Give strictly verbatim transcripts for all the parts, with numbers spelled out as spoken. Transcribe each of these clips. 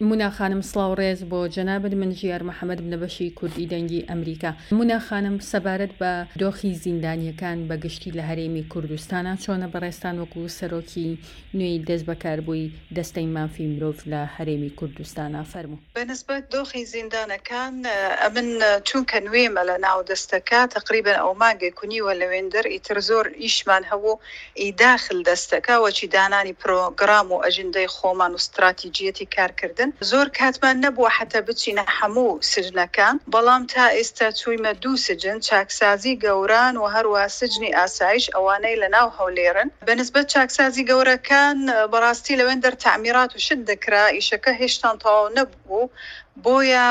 مونا خانم، سڵاو ڕێز بۆ جەنابت. من ژیار محەمەد لە بەشی کوردی دەنگی ئەمریکا. مونا خانم، سەبارەت بە دۆخی زیندانیەکان بە گشتی لە هەرێمی کوردستانە چۆنە؟ بەڕێزتان وەکو سەرۆکی نوێی دەست بەکاربووی دەستەی مافی مرۆڤ لە هەرێمی کوردستانە، فەرموو. بەنسبەت دۆخی زیندانەکان، ئەمن چونکە نوێمە لە ناو دەستەکە، تقریبا ئەو مانگێک و نیوە لەوێندەر، ئیتر زۆر ئیشمان هەبوو ئی داخل دەستەکە، وەچی دانانی پرۆگرام و ئەجندەی خۆمان و استراتیجیەتی کارکردن، زۆر کاتمان نەبووە حتا بچینە هەموو سجنەکان. بەڵام تا ئێستا چوویمە دوو سجن، چاکسازی گەوران و هەروە سجنی ئاسایش، ئەوانەی لە ناو هەولێرن. بەنسبەت چاکسازی گەورەکان، بەڕاستی لەوێندەر تەعمیرات و شت دەکرا، ئیشەکە هێشتان تەواو نەبوو، بۆیە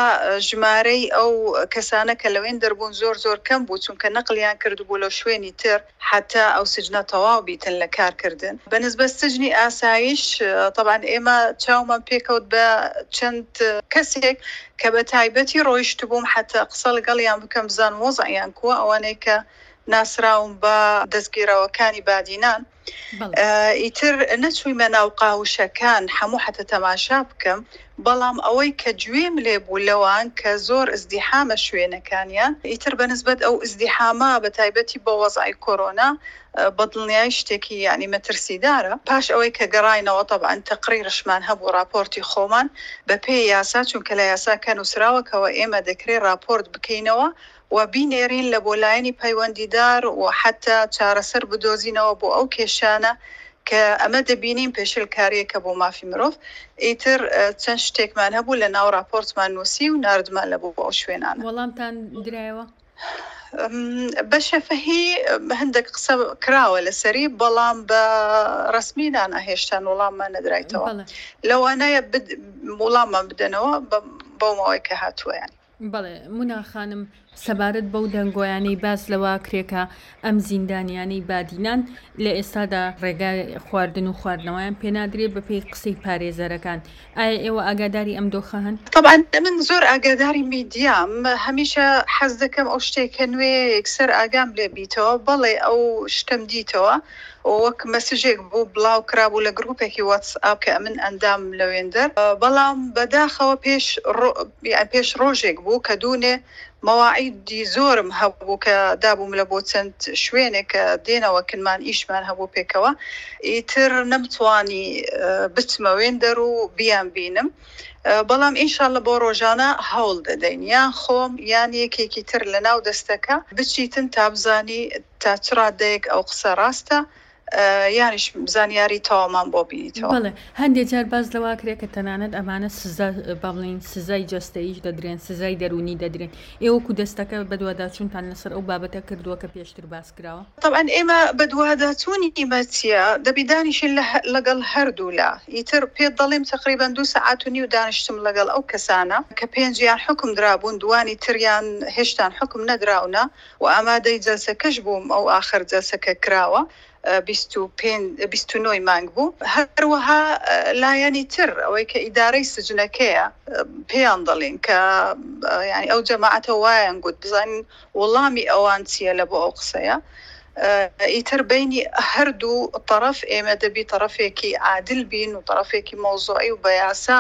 ژمارەی ئەو کەسانە کە لەوێن دەربوون زۆر زۆر کەم بوو، چونکە نەقلیان کردبوو لە شوێنی تر حتا ئەو سجنە تەواو بیتن لە کارکردن. بەنسبەت سجنی ئاسایش، طبعا ئێمە چاومان پێکەوت بە چەند کەسێک کە بە تایبەتی ڕۆیشت بووم حتا قسە لەگەڵیان بکەم بزان وەزعیان کووە، ئەوانەی کە ناسراون بە دەستگیراوەکانی بادینان. ئیتر نەچوویمە ناو قاوشەکان هەموو حتە تەماشا بکەم، بەڵام ئەوەی کە گوێم لێ بوو لەوان کە زۆر ئزدیحامە شوێنەکانیان، ئیتر بەنسبەت ئەو ئزدیحامە بە تایبەتی بۆ وەزعی کۆرۆنا بەدڵنیای شتێکی یعنی مەترسیدارە. پاش ئەوەی کە گەڕاینەوە، طبعا تەقریرشمان هەبوو، راپۆرتی خۆمان بە پێی یاسا، چونکە لە یاساکە نووسراوەکەوە ئێمە دەکرێت راپۆرت بکەینەوە و بینێرین لە بۆ لایەنی پەیوەندیدار و حتا چارەسەر بدۆزینەوە بۆ ئەو کێشانە کە ئەمە دەبینین پێشلکاریەکە بۆ مافی مرۆڤ. ئیتر چەند شتێکمان هەبوو لە ناو راپۆرتمان نووسی و ناردمان لە بۆ ئەو شوێنانە. وەڵامتان درایەوە؟ بە شەفەهی هەندێک قسە کراوە لەسەری، بەڵام بە ڕسمی نانا هێشتان وەڵاممان نەدرایتەوە. لەوانەیە وەڵاممان بدەنەوە بەو ماوەی کە هاتووە. یانی بەڵێ. مونا خانم، سەبارەت بەو دەنگۆیانەی باس لەوە کرێکە ئەم زیندانیانەی بادینان لە ئێستادا ڕێگای خواردن و خواردنەوەیان پێنادرێت بە پێی قسەی پارێزەرەکان، ئایا ئێوە ئاگاداری ئەم دۆخە هەن؟ طبعا من زۆر ئاگاداری میدیام، هەمیشە حەز دەکەم ئەو شتێکە نوێ یەکسەر ئاگام لێ بیتەوە. بەڵێ، ئەو شتم دیتەوە، وەک مەسجێک بوو بڵاو کرابوو لە گروپێکی واتسئاپ کە من ئەندام لەوێندەر، بەڵام بەداخەوە پێش پێش ڕۆژێک بوو کە دوونێ مەواعیدی زۆرم هەبوو کە دابووم لە بۆ چەند شوێنێک کە دێنەوە کنمان ئیشمان هەبوو پێکەوە، ئیتر نەمتوانی بچمە وێندەر و بیان بینم. بەڵام ئینشاءاللە بۆ ڕۆژانە هەوڵ دەدەین، یان خۆم یان یەکێکی تر لە ناو دەستەکە بچیتن تا بزانی تا چ ڕادەیەک ئەو قسە ڕاستە، یانیش زانیاری تەواومان بۆ بینیتەوە. بەڵێ، هەندێک جار باس لەوە کرێ کە تەنانەت ئەمانە سزا، با بڵێین سزای جەستەییش دەدرێن، سزای دەروونی دەدرێن. ئێوە وەکو دەستەکە بەدواداچوونتان لەسەر ئەو بابەتە کردووە کە پێشتر باس کراوە؟ طبعا ئێمە بەدواداچوونی ئیمە چییە؟ دەبی دانیشین لەگەڵ هەردوولا. ئیتر پێت دەڵێم تقریبا دوو سەعات و نیو دانیشتم لەگەڵ ئەو کەسانە کە پێنجیان حکم درابوون، دوانی تریان هێشتان حکم نەدراونە و ئامادەی جەلسەکەش بووم. ئەو ئاخر جەلسەکە کراوە بیست و نۆی مانگ بوو. هەروەها لایەنی تر، ئەوەی کە ئیدارەی سجنەکەیە، پێیان دەڵێن کە یعنی ئەو جەماعەتە وایان گوت، بزانین وەڵامی ئەوان چییە لە بۆ ئەو قسەیە. ئیتر بینی هەردوو طرف ئێمە دەبی طرفێکی عادل بین و طرفێکی مەوزوعی و بە یاسا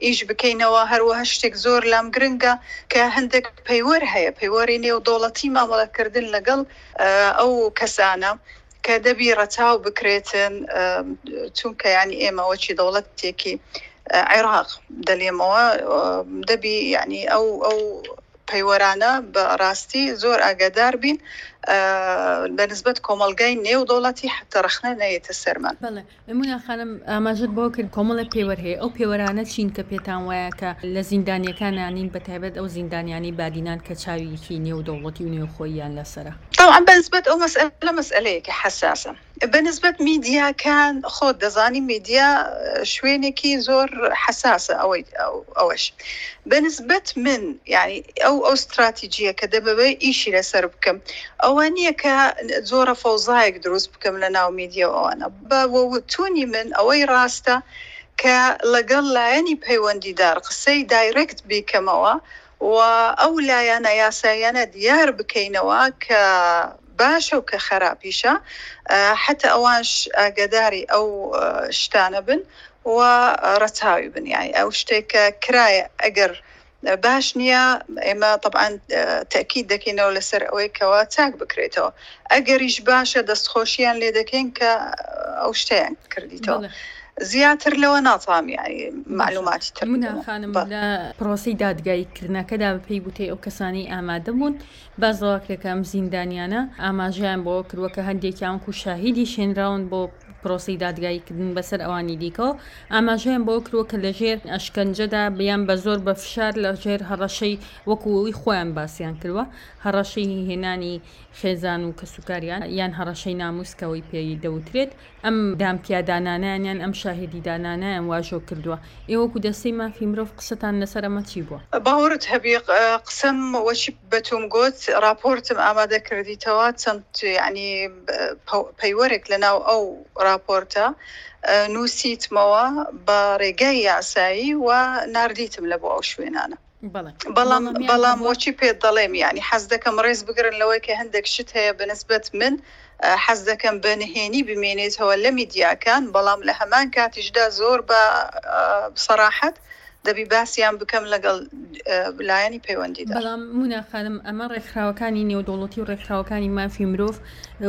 ئیش بکەینەوە. هەروەها شتێک زۆر لام گرنگە کە هەندێک پەیوەر هەیە، پەیوەری نێودەوڵەتی مامەڵەکردن لەگەڵ ئەو کەسانە کە دەبی ڕەچاو بکرێتن، چونکە ینی ئێمە وەچی دەوڵەتێکی عێراق دەلێمەوە، دەبی ینی ئەو ئەو پەیوەرانە بە ڕاستی زۆر ئاگادار بین بە نسبەت کۆمەلگای نێو دەوڵەتی، حتا ڕەخنە نەیەتە سەرمان. بەڵێ مونا خانم، ئاماژت بۆ کرد کۆمەڵێک پێوەر هەیە. ئەو پێوەرانە چین کە پێتان وایە کە لە زیندانیەکانانین، بە تایبەت ئەو زیندانیانی بادینان کە چاویکی نێو دەوڵەتی و نێوخۆیان لەسرە؟ طبعا بەنسبەت ئەو مەسئلە، مەسئلەیەکی حەساسە. بەنسبەت میدیاکان، خۆت دەزانی میدیا شوێنێکی زۆر حەساسە. ئەوەی ئەوەش بەنسبەت من یعنی ئەو ئەو استراتیجیە کە دەبەوێ ئیشی لەسەر بکەم ئەوە نییە کە زۆرە فەوزایەک دروست بکەم لە ناو میدیا و ئەوانە. بە وتونی من ئەوەی ڕاستە کە لەگەڵ لایەنی پەیوەندیدار قسەی direct بیکەمەوە و ئەو لایەنە یاسایانە دیار بکەینەوە کە باشە و کە خراپیشە، حتا ئەوانش ئاگاداری ئەو شتانە بن. و ڕەچاوی بن. یانی ئەو شتێک کە کرایە ئەگەر باش نییە ئێمە تەبعەن تەئکید دەکەینەوە لەسەر ئەوەی کەوا چاک بکرێتەوە، ئەگەریش باشە دەستخۆشیان لێ دەکەین کە ئەو شتەیان کردیتەوە. بەڵێ. زیاتر لەوە ناتوانم یانی باشە مەعلوماتی تر مونا بدەمەوە. خانم بەڵێ. لە پرۆسەی دادگایی کردنەکەدا بەپێی وتەی ئەو کەسانەی ئامادە بوون باس لەوە کرا کە ئەم زیندانیانە ئاماژەیان بەوە کردووە کە هەندێکیان وەکو شاهیدیش هێنراون بۆ پرۆسەی دادگاییکردن بەسەر ئەوانی دیکەوە ئاماژەیان بەوە کردووە کە لەژێر ئەشکەنجەدا یان بە زۆر بە فشار لەژێر هەڕەشەی وەکو ئەوی خۆیان باسیان کردووە هەڕەشەی هێنانی خێزان و کەسوکاریان یان هەڕەشەی ناموس کە ئەوەی پێی دەوترێت ئەم دانپیادانانیان یان ئەم شاهیدی دانانیان واژۆ کردووە. ئێوە وەکو دەستەی مافی مرۆڤ قسەتان لەسەر ئەمە چی بووە؟ باوەڕت هەبی قسەم وەچی بەتوم گوت راپۆرتم ئامادە کردیتەوە چەند یعنی پەیوەرێک لەناو ئەو راپۆرتە نووسیتمەوە بە ڕێگای یاسایی و ناردیتم لە بۆ ئەو شوێنانە. بەڵێ بەڵام وەڵامیان بەڵام هەبووە؟ وەچی پێت دەڵێم یعنی حەز دەکەم ڕێز بگرن لەوەی کە هەندێک شت هەیە بەنسبەت من حەز دەکەم بە نهێنی بمێنێتەوە لە میدیاکان، بەڵام لە هەمان کاتیشدا زۆر بە سەراحەت دەبی باسییان بکەم لەگەڵ لایەنی پەیوەندیدار. بەڵام مونا خانم ئەمە ڕێکخراوەکانی نێودەوڵەتی و ڕێکخراوەکانی مافی مرۆڤ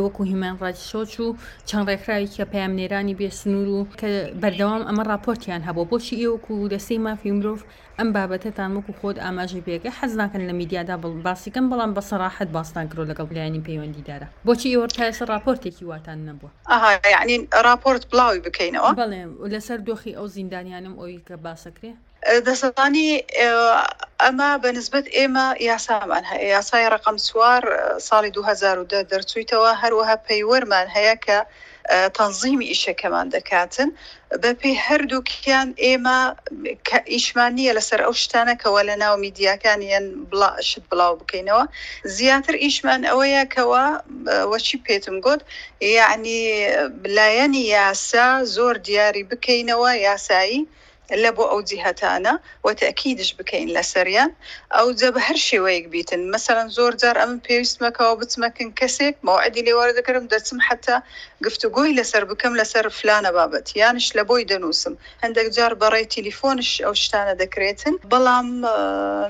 وەکو هیومان ڕایتس وۆچ و چەند ڕێکخراوی کە پەیامنێرانی بێسنوور و کە بەردەوام ئەمە ڕاپۆرتیان هەبوو، بۆچی ئێوە وەکو دەستەی مافی مرۆڤ ئەم بابەتەتان وەکو خۆت ئاماژەی پێکە حەز ناکەن لە میدیادا باسی کەن، بەڵام بە سەراحەت باستان کرد لەگەڵ لایەنی پەیوەندیدارە، بۆچی ئێوە تا ئێستا ڕاپۆرتێکی واتان نەبووە؟ ئەها یعنی ڕاپۆرت بڵاوی بکەینەوە؟ بەڵێ لەسەر دۆخی ئەو زیندانیانم ئەوی کە باسەکرێ. دەزانی ئەمە بە نسبەت ئێمە یاسامان هەیە، یاسای ڕقم چوار ساڵی دوو هەزار و دە دەرچوویتەوە، هەروەها پەیوەرمان هەیە کە تەنظیمی ئیشەکەمان دەکاتن. بەپێی هەردووکیان ئێمە کە ئیشمان نییە لەسەر ئەو شتانەکەوە لە ناو میدیاکان یان شت بڵاو بکەینەوە، زیاتر ئیشمان ئەوەیە کەەوە وەچی پێتم گوت یعنی لایەنی یاسا زۆر دیاری بکەینەوە یاسایی لە بۆ ئەو جیهەتانە و تەئکیدش بکەین لەسەریان ئەو جە بە هەر شێوەیەک بیتن. مەسەڵەن زۆر جار ئەمن پێویستمەکەەوە بچمەکن کەسێک مەوعدی لێوەرە دەکردم دەچم حتا گفتوگۆی لەسەر بکەم لەسەر فلانە بابەت یانش لە بۆی دەنووسم، هەندێک جار بەڕێی تەلیفۆنش ئەو شتانە دەکرێتن. بەڵام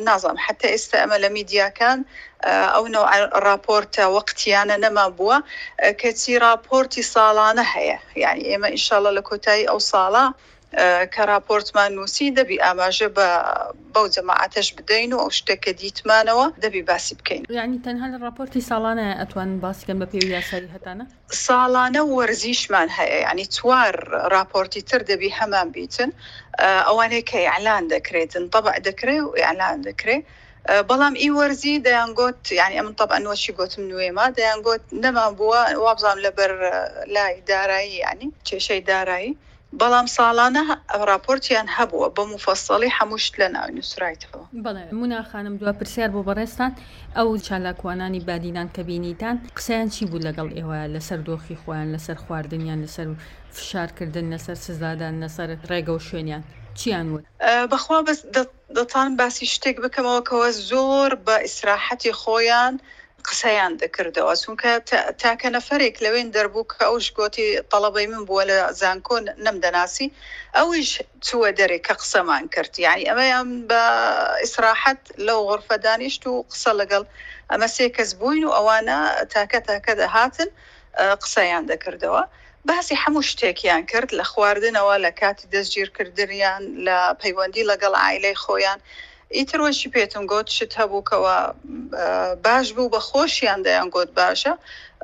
نازانم حتا ئێستا ئەمە لە میدیاکان ئەو نەوع راپۆرتە وەقتیانە نەما بووە، کەچی راپۆرتی ساڵانە هەیە. یعنی ئێمە ئینشاءڵڵا لە کۆتایی ئەو ساڵە کە راپۆرتمان نووسی دەبی ئاماژە بە بەو جەماعەتەش بدەین و ئەو شتێک کە دیتمانەوە دەبی باسی بکەین. یعنی تەنها لە راپۆرتی ساڵانە ئەتوانن باسی کەن بە پێی یاسایی هەتانە؟ ساڵانە وەرزیشمان هەیە، یعنی چوار راپۆرتی تر دەبی هەمان بیتن، ئەوانەیە کە ئیعلان دەکرێتن طبع دەکرێ و ئیعلان دەکرێ. بەڵام ئی وەرزی دەیانگوت یعنی ئەمن طبعا وەچی گوتم نوێما دەیانگوت نەمان بووە وابزانم لەبەر لای دارایی یعنی کێشەی دارایی، بەڵام ساڵانە راپۆرتیان هەبووە بە مفەسەڵی هەموو شت لە ناوی نووسرایتەوە. بەڵێ مونا خانم دوا پرسیار بۆ بەڕێزتان، ئەو چالاکوانانی بادینان کە بینیتان قسەیان چی بوو لەگەڵ ئێوە لەسەر دۆخی خۆیان، لەسەر خواردنیان، لەسەر فشارکردن، لەسەر سزادان، لەسەر ڕێگە و شوێنیان چیان وت؟ بەخوا بەس دەتوانم باسی شتێک بکەمەوە کەەوە زۆر بە ئیسراحەتی خۆیان قسەیان دەکردەوە، چونکە تاکە نەفەرێک لەوێن دەربوو کە ئەوش گوتی تەڵەبەی من بووە لە زانکۆ نەمدەناسی، ئەویش چووە دەرێ کە قسەمان کرد. یعنی ئەمەیان بە ئیسراحەت لەو غرفە دانیشت و قسە لەگەڵ ئەمە سێ کەس بووین و ئەوانە تاکە تاکە دەهاتن قسەیان دەکردەوە. باسی هەموو شتێکیان کرد، لە خواردنەوە، لە کاتی دەستگیرکردنیان، لە پەیوەندی لەگەڵ عائلەی خۆیان. ئیتر وەشی پێتم گوت شت هەبوو کەەوە باش بوو، بە خۆشیان دەیان گوت باشە،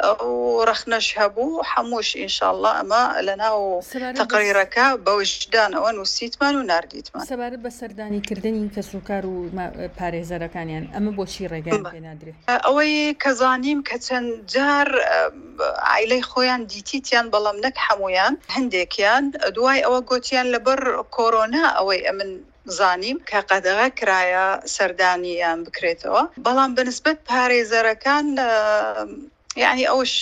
ئەو ڕەخنەش هەبوو. هەمووش ئینشاءڵڵا ئەمە لەناو تەقریرەکە بە وجدانەوە نووسیتمان و ناردیتمان. سەبارەت بە سەردانیکردنی کەسوکار و پارێزەرەکانیان ئەمە بۆچی ڕێگەیان پێ نادرێت؟ ئەوەی کە زانیم کە چەند جار عائلەی خۆیان دیتیتیان، بەڵام نەک هەمویان، هەندێکیان دوای ئەوە گوتیان لەبەر کۆرۆنا ئەوەی ئەمن زانیم کە قەدەغە کرایە سەردانیان بکرێتەوە. بەڵام بەنسبەت پارێزەرەکان یعنی ئەوش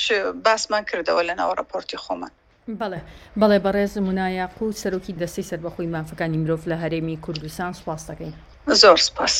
باسمان کردەوە لە ناو راپۆرتی خۆمان. بەڵێ بەڵێ بەڕێز مونا یاقوت سەرۆکی دەستەی سەربەخۆی مافەکانی مرۆڤ لە هەرێمی کوردستان سوپاس دەکەین. زۆر سپاس.